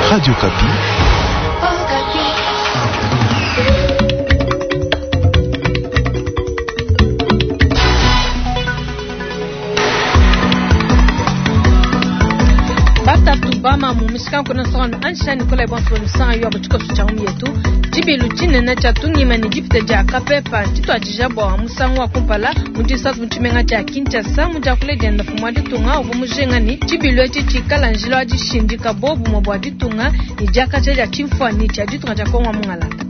Radio Okapi. Batatu bamamu mishikanku na nsonga ansha Nicolas bonso misanga yo tshikoso tshia ngumi yetu tshibilu tshinene tshia tungima ne dipita dia kapepa tshituadija bua musangu wa kumpala mu disatu mu tshimenga tshia Kinshasa mu diakula dienda mfumu wa ditunga uvua mujinga ne tshibilu etshi tshikala njila wa dishindika bobumue bua ditunga ne diakaja dia tshimfuanyi tshia ditunga dia Kongo wa mungalata.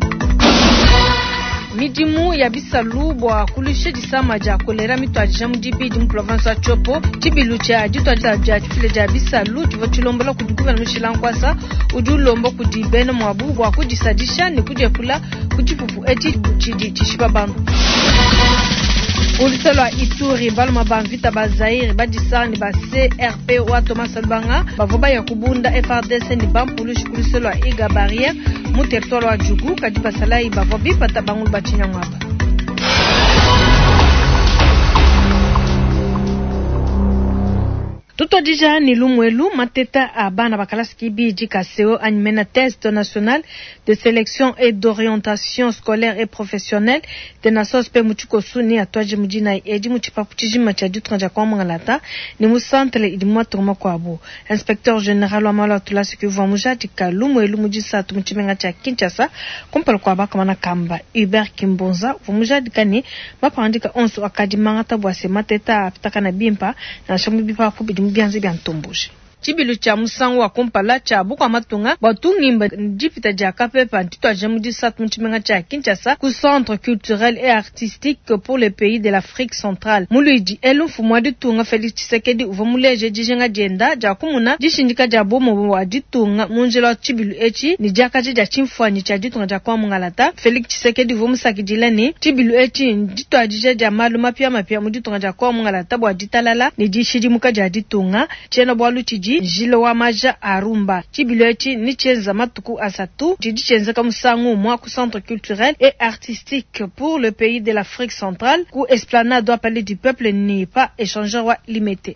Midimu ya bisalu bua kuluisha disama dia kolera mituadija mu dibidi mu province wa Tshopo. Tshibilu tshia dituadija dia difila dia bisalu tshivua tshilombola kudi gouverneur Mushila Nkwasa udi ulomba kudi bena muabu bua kudisadisha ne kudiepula ku tshipupu etshi tshidi tshishipa bantu. Ku lua Ituri, baluma ba mvita ba Zaire badisanga ne ba CRP wa Thomas Lubanga bavua baya kubunda FARDC ne bampulushi ku luse lua Iga Barrière mu territoire wa Djugu, kadi basalayi bavua bipata bangulu ba tshinyangu aba. Tutuadija ne lumuelu mateta a bana ba kalasa kibidi ka CO anyi mena test national de sélection et d'orientation scolaire et professionnelle TENASOSP mu tshikosu ne atuaje mu dinayi edi mu tshipapu tshijima tshia ditunga dia Kongo Mungalata ne mu centre idi mu matunga makuabu. Inspecteur general wa malu a tulasa ke uvua mujadika lumuelu mu disatu mu tshimenga tshia Kinshasa kumpala kua bakamana kamba. Hubert Kimbonza uvua mujadika ne mapangadika onso akadi mangata bua se mateta apitakana bimpa nansha mu bipapu bidi mu bianza bia ntomboji. Tshibilu tshia musangu wa kumpala tshia bukua matunga bua tungimba dipita dia kapepa ntituadija mu disatu mu tshimenga tshia Kinshasa ku centre culturel et artistique pour les pays de l'Afrique centrale. Mu luidi elu mfumu wa ditunga Felix Tshisekedi uvua muleje dijinga dienda dia kumuna dishindika dia bumue bua ditunga mu njila wa tshibilu etshi ne diakaja dia tshimfuanyi tshia ditunga dia Kongo Mungalata. Felix Tshisekedi uvua musakidila ne tshibilu etshi ndituadija dia malu mapiamapia mu ditunga dia Kongo Mungalata bua ditalala ne dishidimuka dia ditunga. Tshiena-bualu tshidi njila wa maja a rumba. Tshibilu etshi ne tshienza matuku asatu tshidi tshienzeka musangu umue ku centre culturel et artistique pour le pays de l'Afrique centrale ku esplanade wa Palais du Peuple ne pa échangeur wa Limete.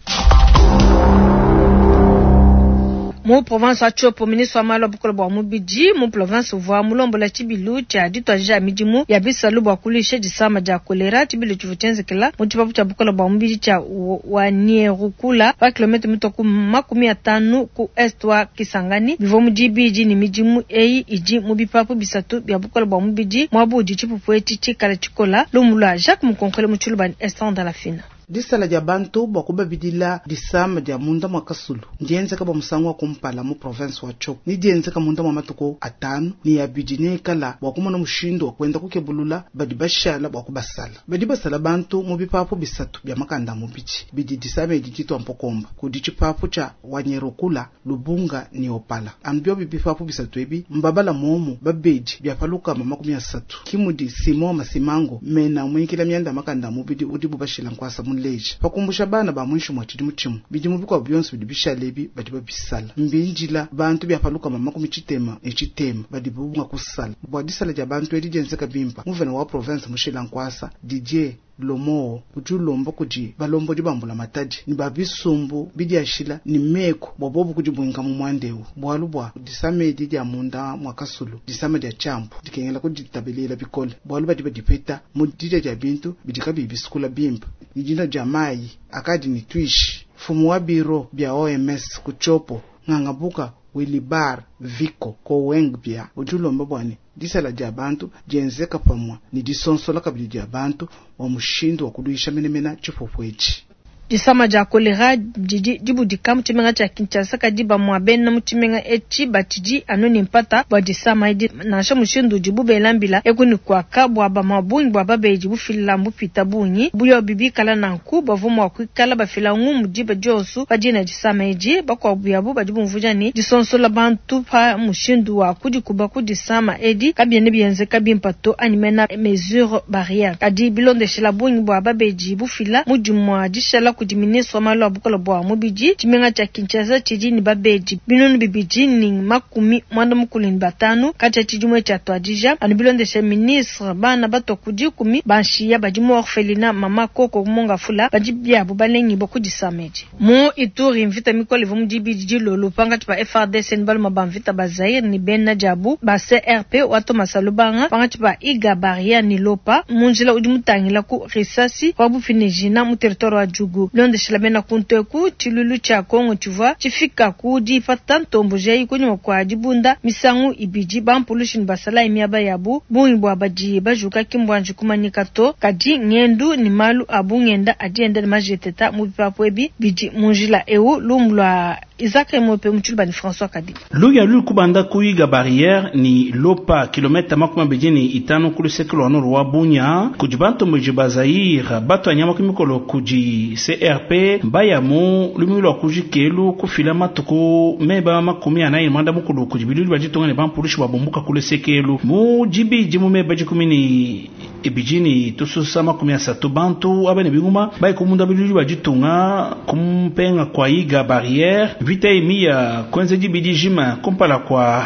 Mu province wa Tshopo, ministre wa malu a bukole bua mubidi mu province uvua mulombola tshibilu tshia dituadija midimu ya bisalu bua kuluisha disama dia kolera. Tshibilu tshivua tshienzekela mu tshipapu tshia bukole bua mubidi tshia Wanierukula pa kilomètre mitua ku 50 ku est wa Kisangani. Bivua mu dibidi ne midimu eyi idi mu bipapu bisatu bia bukole bua mubidi muaba udi tshipupu etshi tshikala tshikola. Lumu lua Jacques Mukonkole mu Tshiluba ne Esther Ndalafina. Disala dia bantu bua kubabidila disama dia munda mua kasulu ndienzeka bua musangu wa kumpala mu province wa Tshopo ne dienzeka munda mua matuku atanu ne abidi nekala bua kumona mushindu wa kuenda kukebulula badi bashala bua kubasala. Badi basala bantu mu bipapu bisatu bia makanda a mubidi bidi disama edi ditua mpokomba kudi tshipapu tshia Wanyerukula, Lubunga ne Opala. Anu biobi bipapu bisatu ebi mbabala momu babedi bia pa 30. Ke mudi Simon Masimango mena muikila mianda makanda a mubidi udibu bashila nkuasa muleja pa kumbusha bana ba muinshi mua tshidimu tshimue. Bidimu bikuabu bionso bidi bishale ebi badi babisala. Mbindila bantu bia pa 66 badibu mua kusala. Bua disala dia bantu edi dienzeka bimpa, nguvena wa province mushila nkuasa Didier Lomoo udi ulomba kudi balombodi ba mbulamatadi ne ba bisumbu bidiashila ne meku bua bobu kudibuinka mu muanda eu, bualu bua disama edi dia munda mua kasulu, disama dia tshiambu dikengela kuditabelela bikole, bualu badi badipeta mu didia dia bintu bidi kabiyi bisukula bimpe ne dinua dia mayi akadi ne tuishi. Mfumu wa biro bia OMS ku Tshopo, Ngangabuka Wilibar Viko Kowengbia udi ulomba bua ne disala dia bantu dienzeka pamue ne disonsola kabidi dia bantu bua mushindu wa kuluisha menemene tshipupu etshi. Disama dia kolera didi dibudika mu tshimenga tshia Kinshasa, kadi bamue bena mu tshimenga etshi batshidi anu ne mpata bua disama edi, nansha mushindu udibu bela mbila eku ne kuaka bua bamue bungi bua babedi bufila mbupita bungi. Biobi bikala nanku, bavua mua kuikala bafila ngumu diba dionso pa dina disama edi. Bakuabu yabu badi bumvuija ne, disonsola bantu pa mushindu wa kudikuba ku disama edi kabiena bienzeka bimpe to, anyi mena mesures barrières. Kadi bilondeshila bungi bua babedi bufila mu dimue dishala. kudi ministre wa malu a bukola bua mubidi, tshimenga tshia Kinshasa tshidi ne babedi 2535 katshia tshidimu etshi tshiatuadija. Anu bilondeshe ministre, bana batua ku dikumi ba nshiya badi mu orphelinat Mama Koko Mongafula badi biabu balengibua ku disama edi. Mu Ituri, mvita mikole ivua mu dibidi dilolo pankatshi pa FARDC ne baluma ba mvita ba Zaire ne bena diabu ba CRP wa Thomas Lubanga pankatshi pa Iga Barriere ne Lopa mu njila udi mutangila ku Risasi pabuipi ne Jina mu territoire wa Djugu. Bilondeshila bena kuntu eku, tshiluilu tshia Congo tshivua tshifika ku dipata ntomboji eyi kunyima kua dibunda misangu ibidi bampulushi ne basalayi miaba yabu. Bungi bua badi bajuka ki mbuanji kumanyika to, kadi ngendu ne malu a bungenda adi enda ne majeteta mu bipapu ebi bidi mu njila eu. Lumu lua Isaac Emope mu tshiluba ne François Kadima. Luya luli kubanda ku Iga Barriere ni Lopa kilomita 25 ku luseke lwa nord wa Bunia kudi bantomboji ba Zaire batua nyama ku mikolo kudi CRP baya mu lumingu lua kujikelu kufila matuku meba 45 kudi bilulu bia ditunga ne bampulushi babumbuka ku lusekelu mu dibidi mu meba 12 ne tususa 30 bantu aba ne binguma bayi kumunda bilulu bia ditunga kumpenga kwa Iga Barriere vita emiya kwenza dibidi jima kumpala kwa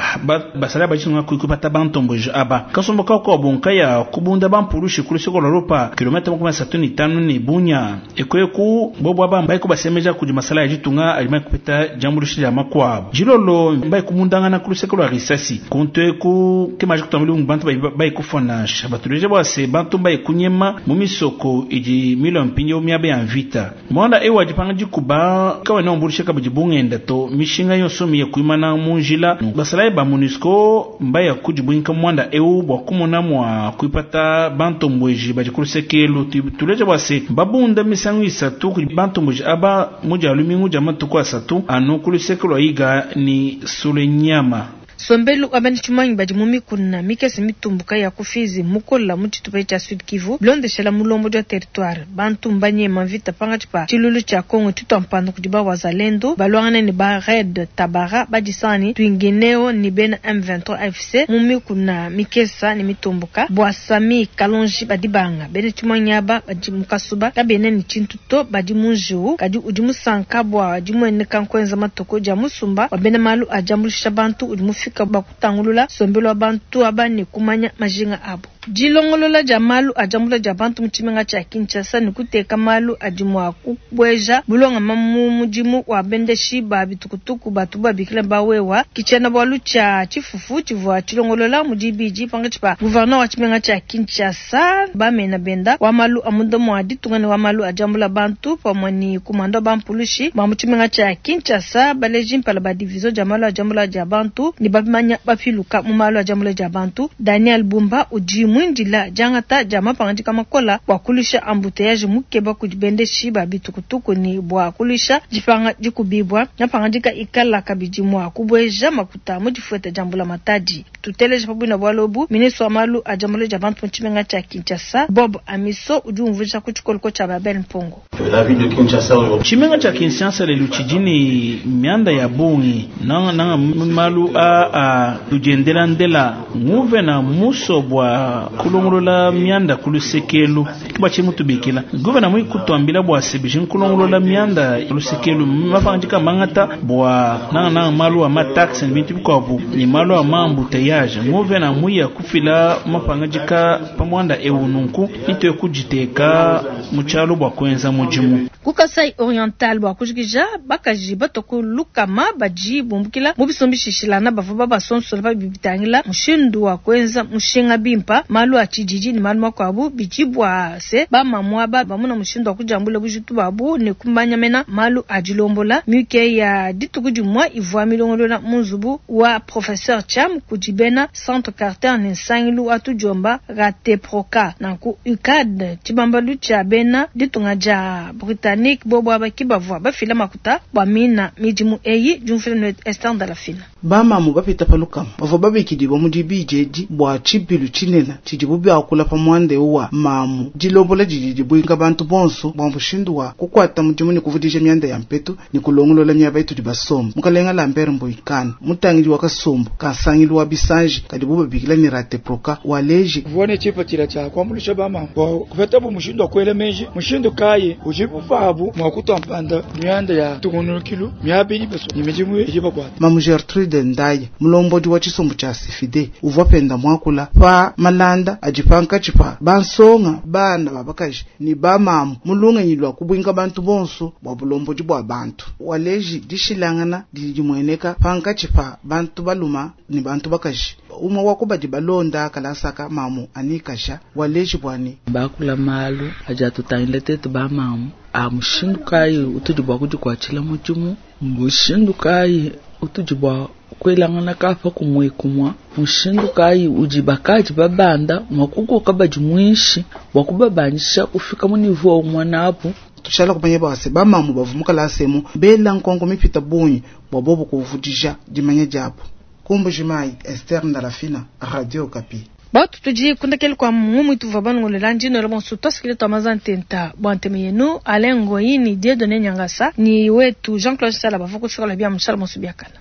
basala bajitunga kuikupata bantomboji aba kasombo kako bonkaya kubunda bampulushi ku luseko lwa Lopa kilomita 35 ne Bunia ekweku bobo aba mbayi kubasemeja kudi masala ya ditunga alima kupeta jambulushi ya makwabo jilolo mbayi kumundangana ku luseko lwa risasi kuntu eku kemaji kutambuli bantu bayi kufona batuleje bwase bantu mbayi kunyema mu misoko idi milo mpinyo miaba ya mvita mwanda ewa dipanga dikuba kawa na ombulisha kabidi bungenda to mishinga yonso miye kuimana mu njila basalayi ba MONUSCO mbaya kudibwinka mwanda eu bwa kumona mwa kuipata bantombweji badi ku lusekelu tuleje bwase babunda misangu isatu kudi bantombweji aba mudia lumingu dia matuku asatu anu ku luseke lwa Iga ni Sulenyama. Sombelu abani tshimanyi badi mu mikuna mikese mitumbuka ya kufizi mukola mu tshitupa tshia Sud Kivu bilondeshela mulombo dia territoire bantu mbanyema mvita pangatshi pa tshilulu tshia Congo tshitwa mpanda kudi ba wazalendo balwangana ne ba Red Tabara badisani twingineo ni bena M23 AFC mu mikuna mikesa ne mitumbuka bwa Sami Kalonji badibanga bene tshimanyi aba badi mukasuba kabene ni tshintu to badi munjiu kadi udi musanka bwa dimweneka nkwenza matoko dia musumba wa bena malu ajambulisha bantu udi mufika bakutangulula sombelo bantu aba ne kumanya majinga abo. Dilongolola dia malu ajambula dia bantu mu tshimenga tshia Kinshasa ne kuteka malu adi mua kubweja bulonga mu mudimu wa bendeshi ba bitukutuku batu babikila bawewa kichena bwalu tshia tshifufu tshivua tshilongolola mu dibidi pangatshi pa gouverneur wa tshimenga tshia Kinshasa bamena benda wa malu amunda mua ditunga ne wa malu ajambula bantu pamue ne kumanda bampulushi ba mu tshimenga tshia Kinshasa baleji mpala ba division dia malu ajambula dia bantu ne bamanya bapiluka mu malu ajambula dia bantu. Daniel Bumba udi mwindila jangata dia mapangadika makola bua kulusha embouteillage mukeba kudi bendeshi ba bitukutuku ni bua kulusha dipanga dikubibwa mapangadika ikala kabidi mua kubweja makuta mu difueta dia mbula matadi. Tuteleje pabuina bwa lobu ministre wa malu ajambula dia bantu mu tshimenga tshia Kinshasa Bob Amiso udi umvuija ku tshikoloko tshia Babel Mpongo. La ville de Kinshasa aujourd'hui. Tshimenga tshia Kinshasa lelu tshidi ne mianda ya bungi nanga nanga malu a a tudiendela ndela nguve na muso bwa kulongolola mianda kulusekelu kiba mutubikila guvena mwi kutwambila bwa sebiji nkulongolola mianda lusekelu mapangandika mangata bwa nanga nanga malu a mataxe ni bintu bikwabu ni malu a maembouteillage nguvena mwi ya kufila mapangandika pamwanda eu nunku ito kujiteka muchalo bwa kwenza mujimu. Ku Kasai Oriental bwa kujikija bakaji batoko lukama baji bumbukila mu bisombishishilana bavua babasonsola babibitangila mushindu wa kwenza mushinga bimpa malu a tshididi ne malu makuabu bidi bua se bamamua ba bamuna mushindu wa kujambula bujitu babu ne kumanya malu a dilombola mike ya dituku dimue ivua milongolola mu nzubu wa professeur Cham kudi bena Centre Carter ne nsangilu wa tudiomba Rateproka nanku UCAD tshibambalu tshia bena ditunga dia Britannique bobo abaki bavua bafila makuta bua mina midimu eyi diumvila ne Esther Ndalafina. Bamamu bapita palukama bavua babikidibwa mu dibidi edi bua tshibilu tshinene tshidibu biakula pa muanda eu wa mamu dilombola didi dibuinka bantu bonso bua mushindu wa kukuata mudimu ne kuvudija mianda ya mpetu ne kulongolola miaba itudi basomba. Mukalenga Lambert Mboikana mutangidi wa kasumbu ka nsangilu wa bisanji kadibu babikila ne Rateproka waleji mvua ne tshipatshila tshia kuambuluisha bamama bua kupetabu mushindu wa kuela meji mushindu kayi udi buvuabu mua kutua mpanda mianda ya tungunukilu miaba idi basue ne midimu idi bakuata. Mamu Gertrude Ndaye mulombodi wa tshisumbu tshia Sifide uvua penda muakula pa malanda adi pankatshi pa bansonga bana babakaji ne bamamu mu lungenyi lua kubuinka bantu bonso bua bulombodi bua bantu. Waleji dishilangana didi dimueneka pankatshi pa bantu baluma ne bantu bakaji. Umwe wa kubadi balonda kalasaka mamu anikasha waleji bwani bakula malu adi atutangila tetu bamamu a mushindu kayi utudi bua kudikuatshila mudimu, mushindu kayi utudi bua kuelangana kapa kumue kumua, mushindu kayi udi bakaji babanda mua kukoka badi muinshi bua kubabandisha kufika mu niveau umue nabu. Tushala kumanya bwase bamamu bavu mukalasemu bela nkonko mipita bungi bua bobo kuvudija dimanya diabu. Kumbujimayi Esther Ndalafina, Radio Okapi. Batu tudi kundakele kwa mumu ituva banongolela ndino la bonso twasikile twa mazantenta bwa nteme yenu Alain Ngoyi ni Dieudonné Nyangasa ni wetu Jean-Claude Sala bava kushokola bia mushala bonso biakana.